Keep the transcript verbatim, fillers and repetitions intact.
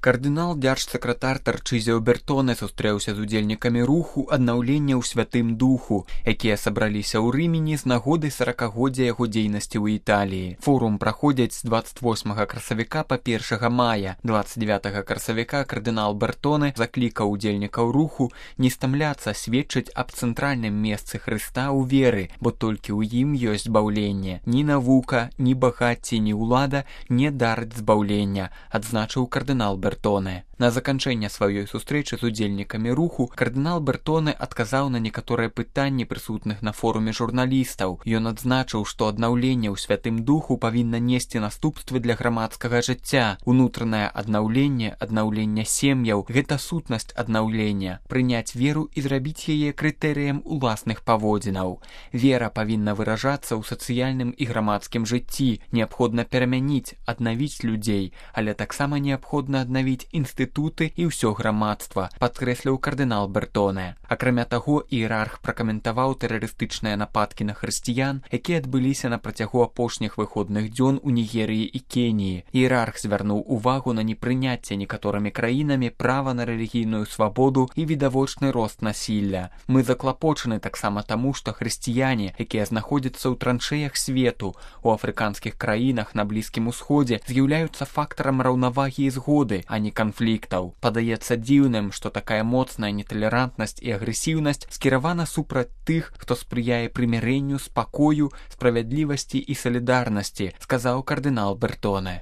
Кардынал дзяржсакратар Тарчызіо Бертоне сустрэўся з удзельнікамі руху аднаўлення ў святым духу, якія сабраліся ў Рымені з нагоды саракагоддзя яго дзейнасці ў Італіі. Форум праходзіць з дваццаць восьмага красавіка па першага мая. дваццаць дзевятага красавіка кардынал Бертоне заклікаў удзельнікаў руху не стамляцца сведчыць аб цэнтральным месцы Хрыста ў веры, бо толькі ў ім ёсць збаўленне. Ні навука, ні багацце, ні ўлада не дарыць збаўлення, адзначыў кардынал Бертоне. Бертоне. На заканчэнне сваёй сустрэчы з удзельнікамі руху кардынал Бертоне адказаў на некаторыя пытанні прысутных на форуме журналістаў. Ён адзначыў, што аднаўленне ў святым духу павінна несці наступствы для грамадскага жыцця. Унутранае аднаўленне, аднаўленне сем'яў – гэта сутнасць аднаўлення. Прыняць веру і зрабіць яе крытэрыем уласных паводзінаў. Вера павінна выражацца ў сацыяльным і грамадскім жыцці. Неабходна перамяніць, аднавіць людзей, але таксама неабходна аднавіць інстытуты і ўсё грамадства, падкрэсліў кардынал Бертоне. Акрамя таго, іерарх пракаментаваў тэрарыстычныя нападкі на хрысціян, якія адбыліся на працягу апошніх выходных дзён у Нігерыі і Кеніі. Іерарх звярнуў увагу на непрыняцце некаторымі краінамі права на рэлігійную свабоду і відавочны рост насілля. Мы заклапочаны таксама таму, што хрысціяне, якія знаходзяцца ў траншэях свету, у афрыканскіх краінах на Блізкім Усходзе, з'яўляюцца фактарам раўнавагі і згоды, а не канфліктаў. Падаецца дзіўным, што такая моцная неталерантнасць і агрэсіўнасць скіравана супраць тых, хто спрыяе прымірэнню, спакою, справядлівасці і салідарнасці, сказаў кардынал Бертоне.